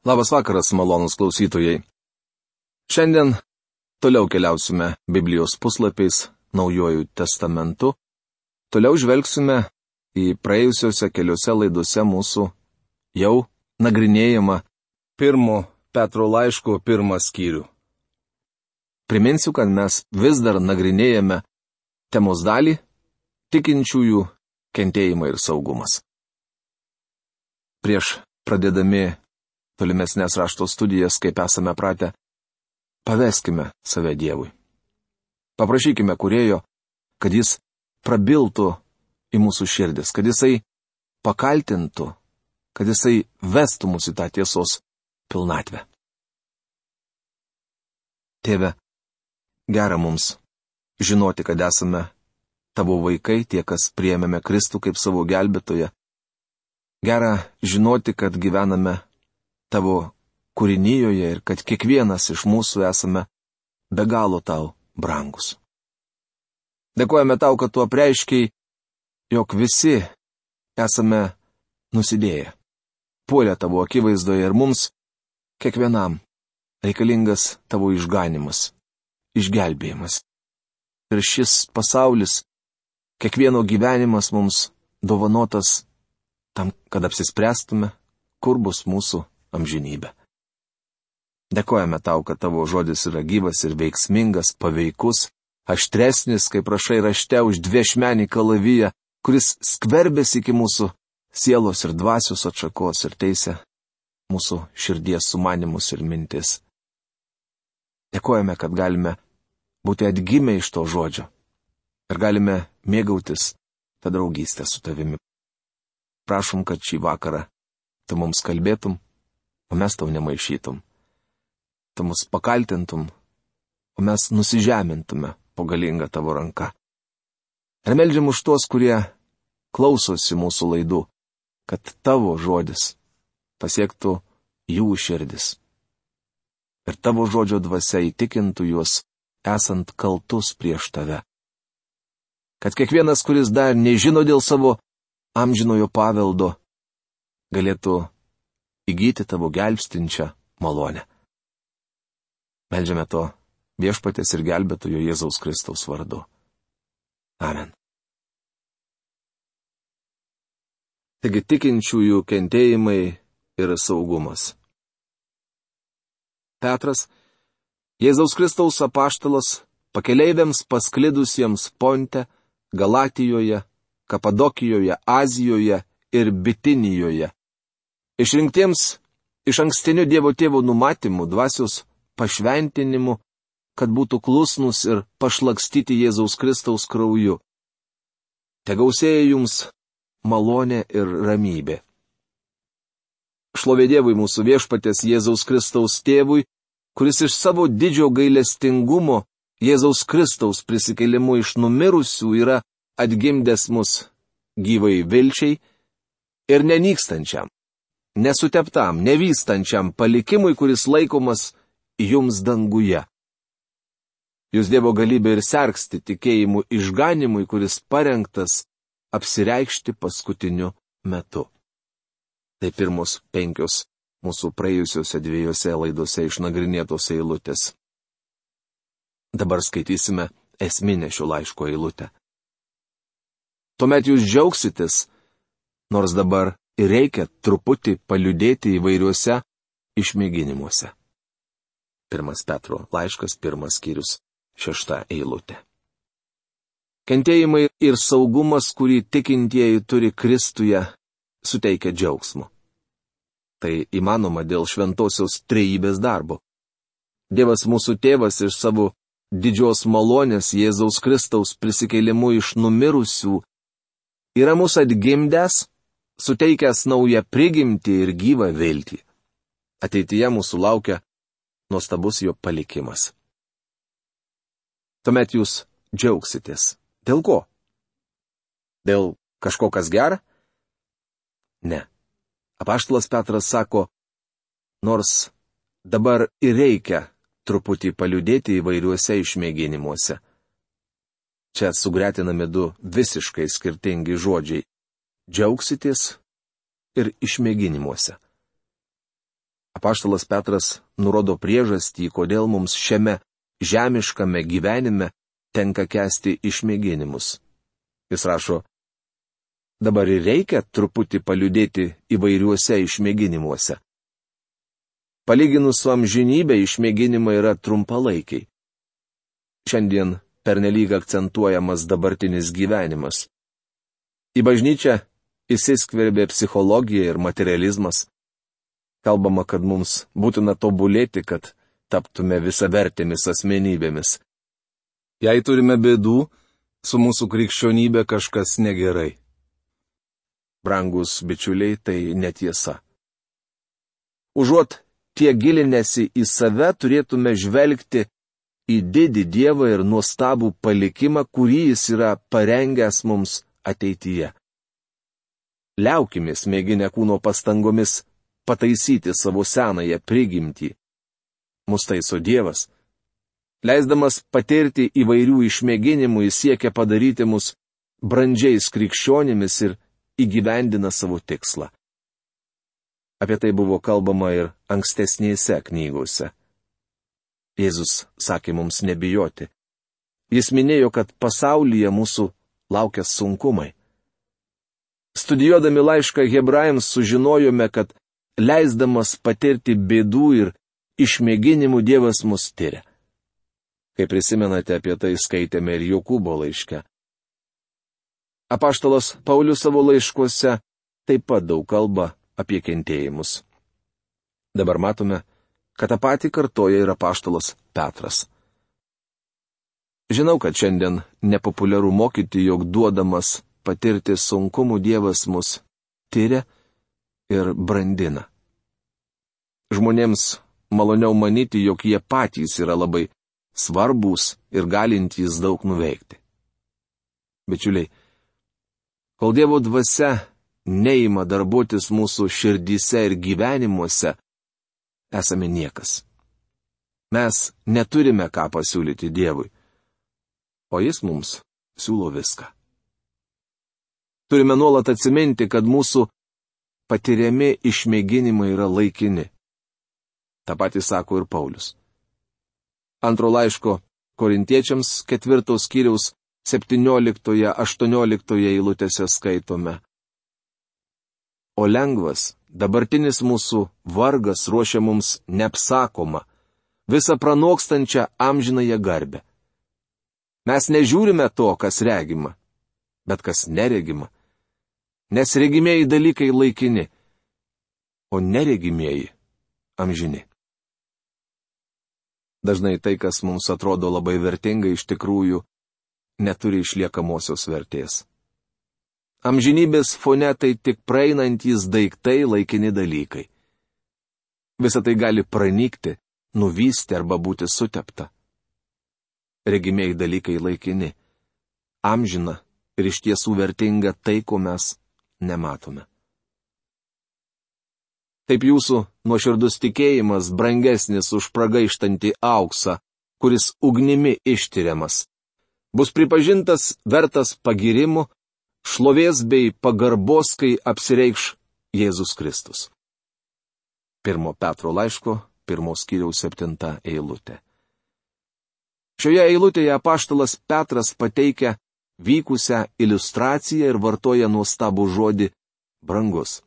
Labas vakaras, malonūs klausytojai. Šiandien toliau keliausime Biblijos puslapiais Naujuoju testamentu. Toliau žvelgsime į praėjusiuose keliose laidose mūsų jau nagrinėjimą 1 Petro laiško 1 skyrių. Priminsiu, kad mes vis dar nagrinėjame temos dalį tikinčiųjų kentėjimai ir saugumas. Prieš pradėdami tolimesnės rašto studijas, kaip esame pratę, paveskime save Dievui. Paprašykime Kūrėjo, kad Jis prabiltų į mūsų širdis, kad Jisai pakaltintų, kad Jisai vestų mus į tą tiesos pilnatvę. Tėve, gera mums žinoti, kad esame Tavo vaikai, tie, kas priėmėme Kristų kaip savo gelbėtoją. Gera žinoti, kad gyvename Tavo kūrinyjoje ir kad kiekvienas iš mūsų esame be galo Tau brangus. Dėkojame Tau, kad Tu apreiškiai, jog visi esame nusidėję, puolę Tavo akivaizdoje ir mums, kiekvienam, reikalingas Tavo išganimas, išgelbėjimas. Ir šis pasaulis, kiekvieno gyvenimas mums dovanotas tam, kad apsispręstume, kur bus mūsų amžinybė. Dėkojame Tau, kad Tavo žodis yra gyvas ir veiksmingas, paveikus, aštresnis, kaip rašai rašte, už dviešmenį kalaviją, kuris skverbėsi iki mūsų sielos ir dvasios atšakos ir teisė mūsų širdies sumanimus ir mintis. Dėkojame, kad galime būti atgimę iš to žodžio ir galime mėgautis tą draugystę su Tavimi. Prašom, kad šį vakarą Tu mums kalbėtum, o mes Tau nemaišytum. Tu mus pakaltintum, o mes nusižemintume po galingą Tavo ranką. Ir meldžiam už tuos, kurie klausosi mūsų laidų, kad Tavo žodis pasiektų jų širdis. Ir Tavo žodžio dvasia įtikintų juos, esant kaltus prieš Tave. Kad kiekvienas, kuris dar nežino dėl savo amžinojo paveldo, galėtų įgyti Tavo gelbstinčią malonę. Meldžiame to Viešpaties ir gelbėtojo Jėzaus Kristaus vardu. Amen. Taigi tikinčiųjų kentėjimai ir saugumas. Petras, Jėzaus Kristaus apaštalas, pakeleiviams pasklidusiems Ponte, Galatijoje, Kapadokijoje, Azijoje ir Bitinijoje, išrinktiems iš ankstinių Dievo Tėvo numatymų, dvasios pašventinimu, kad būtų klusnus ir pašlakstyti Jėzaus Kristaus krauju. Tegausėja jums malonė ir ramybė. Šlovė Dievui mūsų Viešpaties Jėzaus Kristaus Tėvui, kuris iš savo didžio gailestingumo Jėzaus Kristaus prisikėlimu iš numirusių yra atgimdęs mus gyvai vilčiai ir nenykstančiam, nesuteptam, nevystančiam palikimui, kuris laikomas jums danguje. Jūs Dievo galybė ir sergsti tikėjimu išganimui, kuris parengtas apsireikšti paskutiniu metu. Tai pirmos 5 mūsų praėjusiuose 2 laidose išnagrinėtos eilutės. Dabar skaitysime esminę šio laiško eilutę. Tuomet jūs džiaugsitės, nors dabar ir reikia truputį paliūdėti įvairiuose išmėginimuose. 1 Petro laiškas 1 skyrius 6 eilutė. Kentėjimai ir saugumas, kurį tikintieji turi Kristuje, suteikia džiaugsmo. Tai įmanoma dėl šventosios trejybės darbo. Dievas mūsų tėvas iš savo didžios malonės Jėzaus Kristaus prisikėlimu iš numirusių yra mūsų atgimdęs, suteikęs naują prigimtį ir gyvą viltį. Ateityje mūsų laukia nuostabus jo palikimas. Tuomet jūs džiaugsitės. Dėl ko? Dėl kažko, kas gera? Ne. Apaštalas Petras sako, nors dabar ir reikia truputį paliūdėti įvairiuose išmėginimuose. Čia sugretinami 2 visiškai skirtingi žodžiai - džiaugsitės ir išmėginimuose. Apaštalas Petras nurodo priežastį, kodėl mums šiame žemiškame gyvenime tenka kęsti išmėginimus. Jis rašo, dabar ir reikia truputį paliudėti įvairiuose išmėginimuose. Palyginus su amžinybė išmėginimai yra trumpalaikiai. Šiandien pernelyg akcentuojamas dabartinis gyvenimas. Į bažnyčią įsiskverbė psichologija ir materializmas. Kalbama, kad mums būtina tobulėti, kad taptume visavertėmis asmenybėmis. Jei turime bėdų, su mūsų krikščionybė kažkas negerai. Brangus bičiuliai, tai netiesa. Užuot tie gilinęsi į save, turėtume žvelgti į didį Dievą ir nuostabų palikimą, kurį jis yra parengęs mums ateityje. Liaukimės mėginę kūno pastangomis pataisyti savo senąją prigimtį. Mus taiso Dievas. Leisdamas patirti įvairių išmėginimų, jis siekia padaryti mus brandžiais krikščionimis ir įgyvendina savo tikslą. Apie tai buvo kalbama ir ankstesnėse knygose. Jėzus sakė mums nebijoti. Jis minėjo, kad pasaulyje mūsų laukia sunkumai. Studijuodami laišką Hebrajams sužinojome, kad leisdamas patirti bėdų ir išmėginimų Dievas mus tiria. Kaip prisimenate, apie tai skaitėme ir Jokūbo laiške. Apaštalas Paulius savo laiškuose taip pat daug kalba apie kentėjimus. Dabar matome, kad tą patį kartoja ir apaštalas Petras. Žinau, kad šiandien nepopuliaru mokyti, jog duodamas patirti sunkumų Dievas mus tiria ir brandina. Žmonėms maloniau manyti, jog jie patys yra labai svarbūs ir galintys daug nuveikti. Bičiuliai, kol Dievo dvasia neima darbuotis mūsų širdyse ir gyvenimuose, esame niekas. Mes neturime ką pasiūlyti Dievui, o Jis mums siūlo viską. Turime nuolat atsiminti, kad mūsų patiriami išmėginimai yra laikini. Ta pati sako ir Paulius. Antro laiško Korintiečiams 4 skyriaus 17-18 eilutėse skaitome. O lengvas, dabartinis mūsų vargas ruošia mums neapsakomą, visą pranokstančią amžinąją garbę. Mes nežiūrime to, kas regima, bet kas neregima. Nes regimieji dalykai laikini, o neregimieji amžini. Dažnai tai, kas mums atrodo labai vertinga, iš tikrųjų neturi išliekamosios vertės. Amžinybės fone tai tik praeinantys daiktai, laikini dalykai. Visa tai gali pranykti, nuvysti arba būti sutepta. Regimieji dalykai laikini, amžina ir iš tiesų vertinga tai, ko mes nematome. Taip jūsų nuoširdus tikėjimas brangesnis už pragaištantį auksą, kuris ugnimi ištiriamas, bus pripažintas vertas pagirimų, šlovės bei pagarbos, kai apsireikš Jėzus Kristus. 1 Petro laiško 1 skyriaus 7 eilutė. Šioje eilutėje apaštalas Petras pateikia vykusią iliustraciją ir vartoja nuostabų žodį brangus.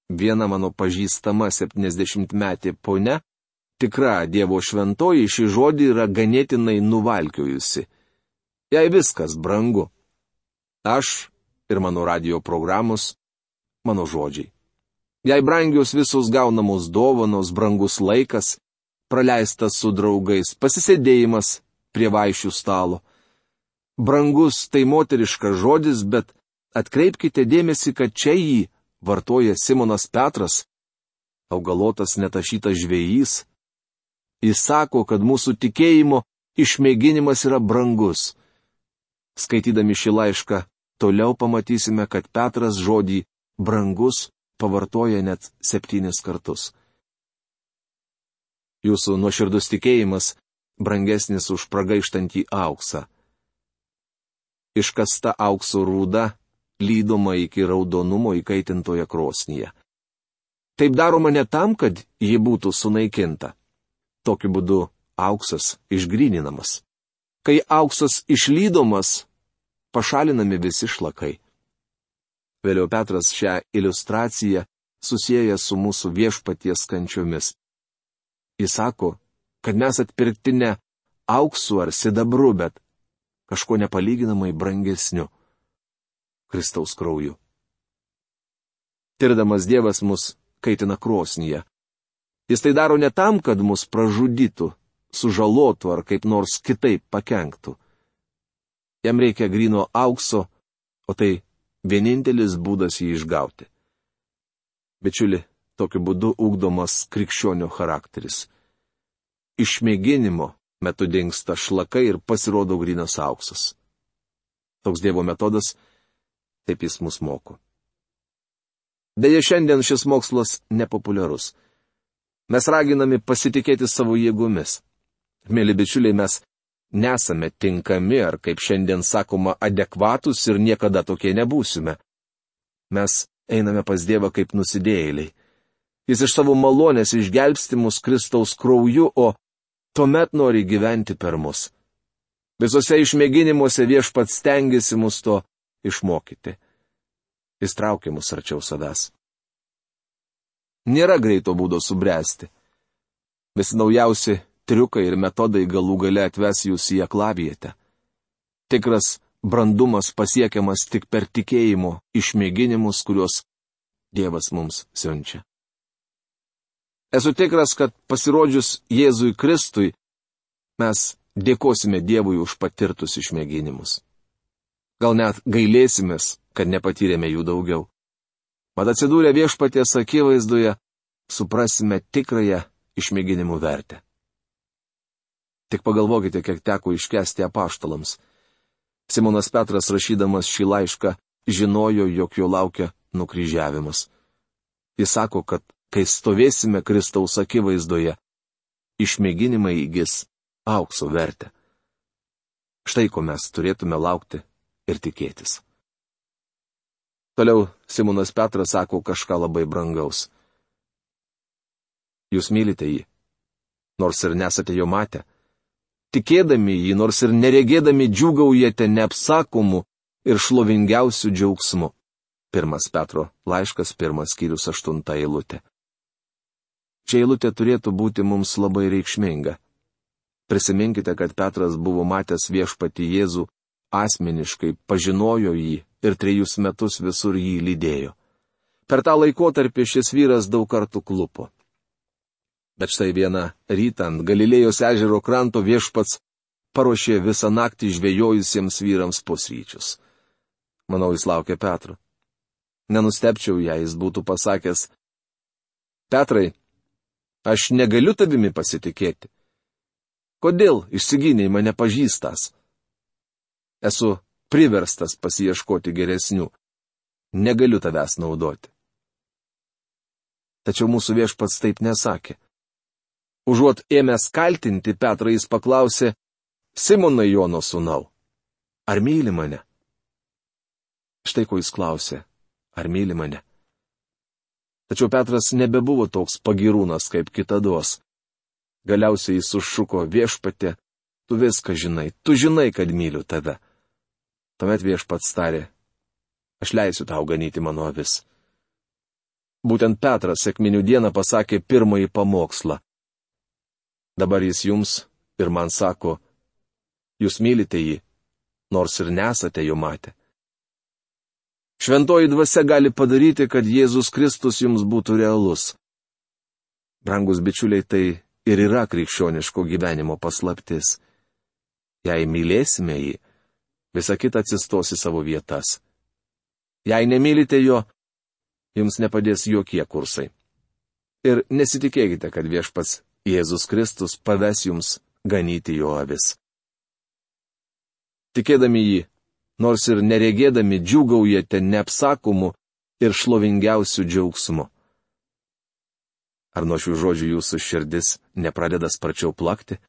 Viena mano pažįstama 70-metė ponia, tikra Dievo šventoji, šį žodį yra ganėtinai nuvalkiojusi. Jai viskas brangu. Aš ir mano radijo programos, mano žodžiai. Jai brangios visos gaunamos dovanos, brangus laikas, praleistas su draugais, pasisėdėjimas prie vaišių stalo. Brangus tai moteriškas žodis, bet atkreipkite dėmesį, kad čia jį vartoja Simonas Petras, augalotas netašytas žvejys. Jis sako, kad mūsų tikėjimo išmėginimas yra brangus. Skaitydami šį laišką, toliau pamatysime, kad Petras žodį brangus pavartoja net 7 kartus. Jūsų nuoširdus tikėjimas brangesnis už pragaištantį auksą. Iškasta aukso rūda lydoma iki raudonumo įkaitintoje krosnyje. Taip daroma ne tam, kad ji būtų sunaikinta. Tokiu būdu auksas išgryninamas. Kai auksas išlydomas, pašalinami visi šlakai. Vėliau Petras šią iliustraciją susieja su mūsų viešpaties kančiomis. Jis sako, kad mes atpirkti ne auksu ar sidabru, bet kažko nepalyginamai brangesniu - Kristaus krauju. Tirdamas Dievas mus kaitina krosnyje. Jis tai daro ne tam, kad mus pražudytų, sužalotų ar kaip nors kitaip pakenktų. Jam reikia gryno aukso, o tai vienintelis būdas jį išgauti. Bičiuli, tokiu būdu ugdomas krikščionio charakteris. Iš mėginimo metu dingsta šlakai ir pasirodo grynas auksas. Toks Dievo metodas, taip jis mus moko. Deja, šiandien šis mokslas nepopuliarus. Mes raginami pasitikėti savo jėgomis. Mėly bičiuliai, mes nesame tinkami ar, kaip šiandien sakoma, adekvatus ir niekada tokie nebūsime. Mes einame pas Dievą kaip nusidėjėliai. Jis iš savo malonės išgelbsti mus Kristaus krauju, o tuomet nori gyventi per mus. Visose išmėginimuose Viešpats stengiasi mus to išmokyti. Jis traukia mus arčiau savęs. Nėra greito būdo subręsti. Visi naujausi triukai ir metodai galų gale atves jūs į aklavietę. Tikras brandumas pasiekiamas tik per tikėjimo išmėginimus, kuriuos Dievas mums siunčia. Esu tikras, kad pasirodžius Jėzui Kristui, mes dėkosime Dievui už patirtus išmėginimus. Gal net gailėsimės, kad nepatyrėme jų daugiau. Mat atsidūrę Viešpaties akivaizdoje, suprasime tikrąją išmėginimų vertę. Tik pagalvokite, kiek teko iškęsti apaštalams. Simonas Petras, rašydamas šį laišką, žinojo, jog jo laukia nukryžiavimas. Jis sako, kad kai stovėsime Kristaus akivaizdoje, išmėginimai įgis aukso vertę. Štai ko mes turėtume laukti ir tikėtis. Toliau Simonas Petras sako kažką labai brangaus. Jūs mylite jį, nors ir nesate jo matę. Tikėdami jį, nors ir neregėdami, džiūgaujate neapsakomu ir šlovingiausiu džiaugsmu. 1 Petro laiškas, 1 skyrius, 8 eilutė. Čia eilutė turėtų būti mums labai reikšminga. Prisiminkite, kad Petras buvo matęs Viešpatį Jėzų asmeniškai, pažinojo jį ir 3 metus visur jį lydėjo. Per tą laikotarpį šis vyras daug kartų klupo. Bet štai vieną rytą ant Galilėjos ežero kranto Viešpats paruošė visą naktį žvejojusiems vyrams pusryčius. Manau, jis laukė Petro. Nenustepčiau, jei jis būtų pasakęs: Petrai, aš negaliu tavimi pasitikėti. Kodėl išsigynei mane pažįstas? Esu priverstas pasiieškoti geresnių. Negaliu tavęs naudoti. Tačiau mūsų Viešpats taip nesakė. Užuot ėmęs kaltinti Petrą, jis paklausė: Simonai, Jono sūnau, ar myli mane? Štai ko jis klausė: ar myli mane? Tačiau Petras nebebuvo toks pagirūnas kaip kitados. Galiausiai jis sušuko: Viešpatie, tu viską žinai, tu žinai, kad myliu tave. Tuomet Viešpats tarė: aš leisiu tau ganyti mano avis. Būtent Petras sekminių dieną pasakė pirmąjį pamokslą. Dabar jis jums ir man sako: jūs mylite jį, nors ir nesate jo matę. Šventoji dvasia gali padaryti, kad Jėzus Kristus jums būtų realus. Brangus bičiuliai, tai ir yra krikščioniško gyvenimo paslaptis. Jei mylėsime jį, visa kita atsistos į savo vietas. Jei nemylite jo, jums nepadės jokie kursai. Ir nesitikėkite, kad Viešpats Jėzus Kristus paves jums ganyti jo avis. Tikėdami jį, nors ir neregėdami, džiūgaujate neapsakomu ir šlovingiausiu džiaugsmu. Ar nuo šių žodžių jūsų širdis nepradeda sparčiau plakti?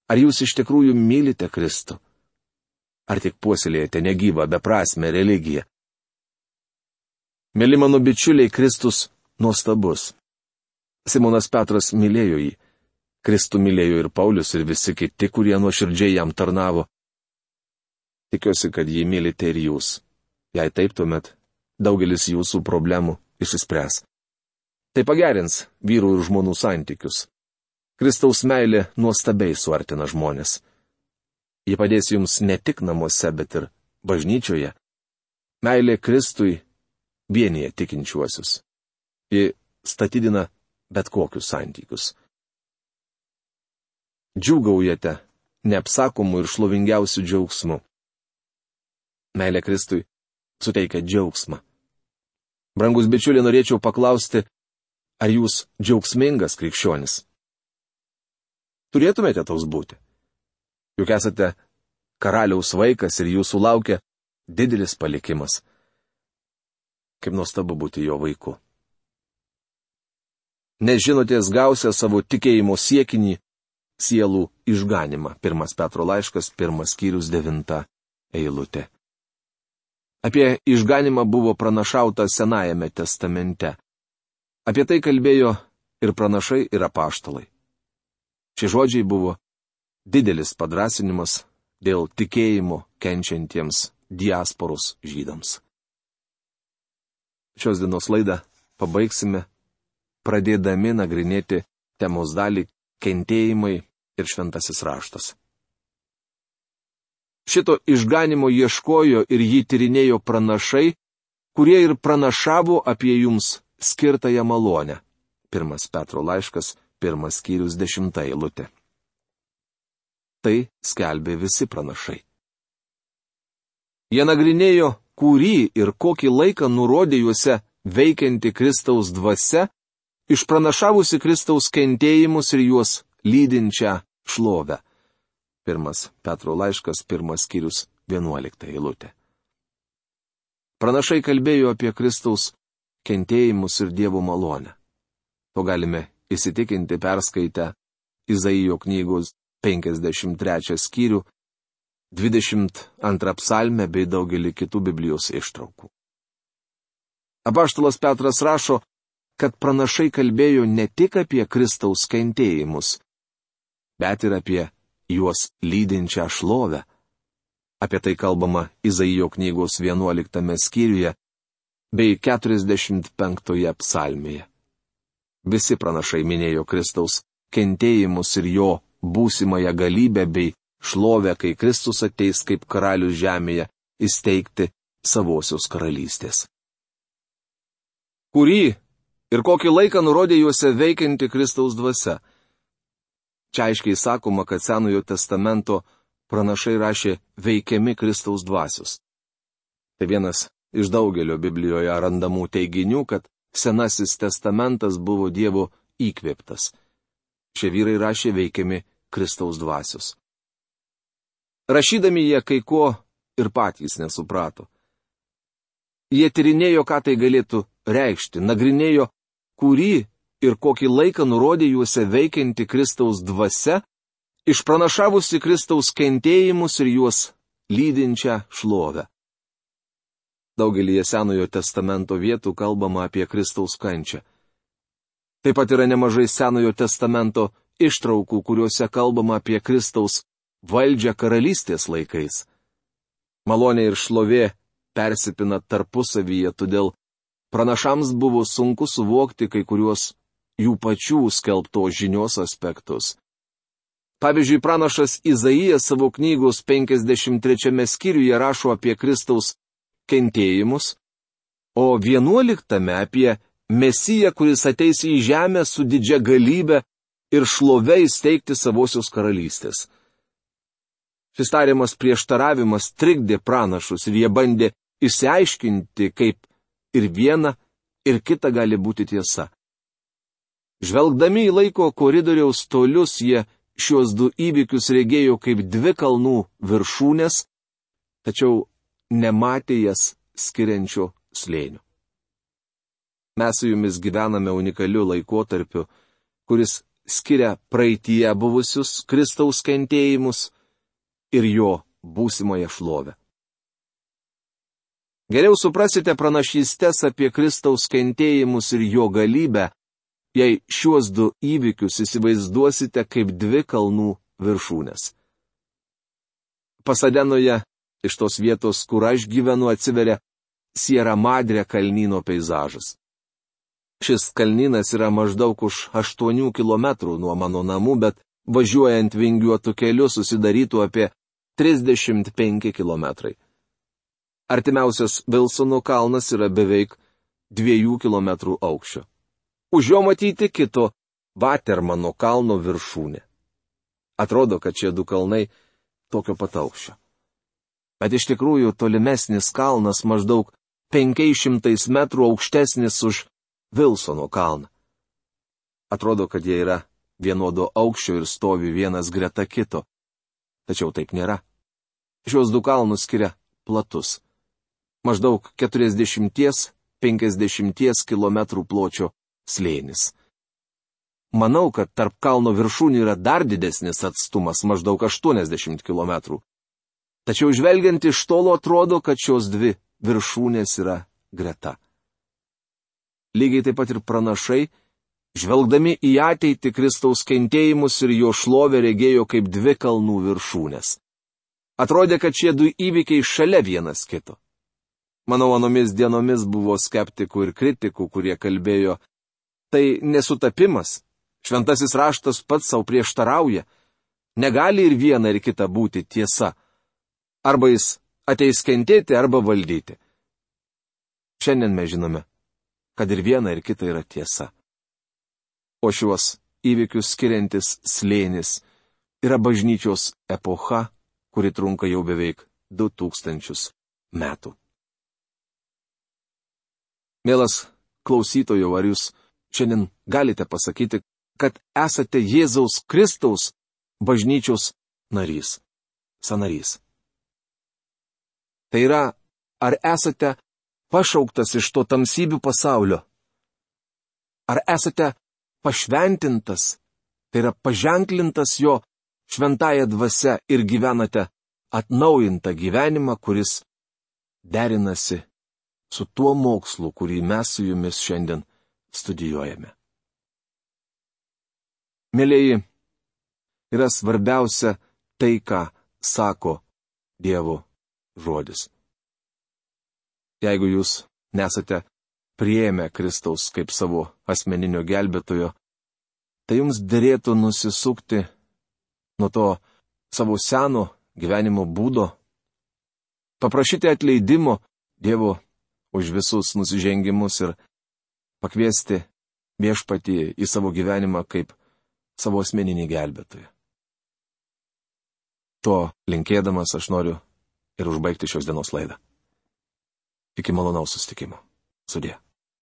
Ar jūs iš tikrųjų mylite Kristų? Ar tik puoselėjate negyvą, beprasmę religiją? Mėly mano bičiuliai, Kristus nuostabus. Simonas Petras mylėjo jį. Kristų mylėjo ir Paulius, ir visi kiti, kurie nuoširdžiai jam tarnavo. Tikiuosi, kad jį mylite ir jūs. Jei taip, tuomet daugelis jūsų problemų išsispręs. Tai pagerins vyrų ir žmonų santykius. Kristaus meilė nuostabiai suartina žmonės. Ji padės jums ne tik namuose, bet ir bažnyčioje. Meilė Kristui vienyje tikinčiuosius. Ji statydina bet kokius santykius. Džiūgaujate neapsakomų ir šlovingiausių džiaugsmų. Meilė Kristui suteikia džiaugsmą. Brangus bičiuliai, norėčiau paklausti, ar jūs džiaugsmingas krikščionis? Turėtumėte toks būti. Juk esate karaliaus vaikas ir jūsų laukia didelis palikimas. Kaip nuostabu būti jo vaiku. Nes žinotės gausia savo tikėjimo siekinį sielų išganimą. 1 Petro laiškas, 1 skyrius 9 eilutė. Apie išganimą buvo pranašauta Senajame testamente. Apie tai kalbėjo ir pranašai, ir apaštalai. Šie žodžiai buvo didelis padrąsinimas dėl tikėjimo kenčiantiems diasporos žydams. Šios dienos laidą pabaigsime, pradėdami nagrinėti temos dalį kentėjimai ir šventasis raštas. Šito išganimo ieškojo ir jį tyrinėjo pranašai, kurie ir pranašavo apie jums skirtąją malonę. 1 Petro laiškas, 1 skyrius 10 eilutė. Tai skelbė visi pranašai. Jie nagrinėjo, kurį ir kokį laiką nurodė juose veikianti Kristaus dvasia, išpranašavusi Kristaus kentėjimus ir juos lydinčią šlovę. 1 Petro laiškas, 1 skyrius 11 eilutė. Pranašai kalbėjo apie Kristaus kentėjimus ir Dievo malonę. To galime įsitikinti perskaitę Izaijo knygos 53 skyrių, 22 psalmę bei daugelį kitų Biblijos ištraukų. Apaštalas Petras rašo, kad pranašai kalbėjo ne tik apie Kristaus kentėjimus, bet ir apie juos lydinčią šlovę. Apie tai kalbama Izaijo knygos 11 skyriuje bei 45 psalmėje. Visi pranašai minėjo Kristaus kentėjimus ir jo būsimąją galybę bei šlovę, kai Kristus ateis kaip karalius žemėje įsteigti savosios karalystės. Kurį ir kokį laiką nurodė juose veikianti Kristaus dvasia? Čia aiškiai sakoma, kad Senojo testamento pranašai rašė veikiami Kristaus dvasios. Tai vienas iš daugelio Biblijoje randamų teiginių, kad Senasis testamentas buvo Dievo įkvėptas. Šie vyrai rašė veikiami Kristaus dvasios. Rašydami jie kai ko ir patys nesuprato. Jie tyrinėjo, ką tai galėtų reikšti, nagrinėjo, kurį ir kokį laiką nurodė juose veikianti Kristaus dvasia, išpranašavusi Kristaus kentėjimus ir juos lydinčią šlovę. Daugelį Senojo testamento vietų kalbama apie Kristaus kančią. Taip pat yra nemažai Senojo testamento ištraukų, kuriuose kalbama apie Kristaus valdžią karalystės laikais. Malonė ir šlovė persipina tarpusavyje, todėl pranašams buvo sunku suvokti kai kuriuos jų pačių skelbtos žinios aspektus. Pavyzdžiui, pranašas Izaijas savo knygos 53 skyriuje rašo apie Kristaus kentėjimus, o 11 apie Mesiją, kuris ateis į žemę su didžia galybe ir šlove įsteigti savosios karalystės. Šis tariamas prieštaravimas trikdė pranašus ir jie bandė išsiaiškinti, kaip ir viena, ir kita gali būti tiesa. Žvelgdami į laiko koridoriaus tolius, jie šios du įvykius regėjo kaip dvi kalnų viršūnės, tačiau nematė jas skiriančio slėnio. Mes su jumis gyvename unikaliu laikotarpiu, kuris skiria praeityje buvusius Kristaus kentėjimus ir jo būsimąją šlovę. Geriau suprasite pranašystės apie Kristaus kentėjimus ir jo galybę, jei šiuos du įvykius įsivaizduosite kaip dvi kalnų viršūnės. Pasadenoje, iš tos vietos, kur aš gyvenu, atsiveria Sierra Madre kalnyno peizažas. Šis kalnynas yra maždaug už 8 km nuo mano namų, bet važiuojant vingiuotų keliu susidarytų apie 35 km. Artimiausias Vilsono kalnas yra beveik 2 km aukščio. Už jo matyti kito Vatermano kalno viršūnė. Atrodo, kad šie du kalnai tokio pat aukščio. Bet iš tikrųjų tolimesnis kalnas maždaug 500 metrų aukštesnis už Vilsono kalną. Atrodo, kad jie yra vienodo aukščio ir stovi vienas greta kito. Tačiau taip nėra. Šios du kalnus skiria platus. Maždaug 40–50 km pločio slėnis. Manau, kad tarp kalno viršūnių yra dar didesnis atstumas, maždaug 80 km. Tačiau žvelgiant iš tolo atrodo, kad šios dvi viršūnės yra greta. Lygiai taip pat ir pranašai, žvelgdami į ateitį Kristaus kentėjimus ir jo šlovę regėjo kaip dvi kalnų viršūnės. Atrodė, kad šie du įvykiai šalia vienas kito. Manau, anomis dienomis buvo skeptikų ir kritikų, kurie kalbėjo, tai nesutapimas, šventasis raštas pats savo prieštarauja, negali ir viena ir kita būti tiesa. Arba jis ateis kentėti, arba valdyti. Šiandien mes žinome, kad ir viena ir kita yra tiesa. O šiuos įvykius skiriantis slėnis yra bažnyčios epocha, kuri trunka jau beveik 2000 metų. Mielas klausytojau, ar jūs šiandien galite pasakyti, kad esate Jėzaus Kristaus bažnyčios narys, sanarys? Tai yra, ar esate pašauktas iš to tamsybių pasaulio? Ar esate pašventintas, tai yra paženklintas jo šventąja dvasia ir gyvenate atnaujintą gyvenimą, kuris derinasi su tuo mokslu, kurį mes su jumis šiandien studijuojame. Mielieji, yra svarbiausia tai, ką sako Dievo žodis. Jeigu jūs nesate priėmę Kristaus kaip savo asmeninio gelbėtojo, tai jums derėtų nusisukti nuo to savo seno gyvenimo būdo, paprašyti atleidimo Dievo už visus nusižengimus ir pakviesti Viešpatį į savo gyvenimą kaip savo asmeninį gelbėtoją. To linkėdamas aš noriu ir užbaigti šios dienos laidą. Iki malonaus susitikimo. Sudie.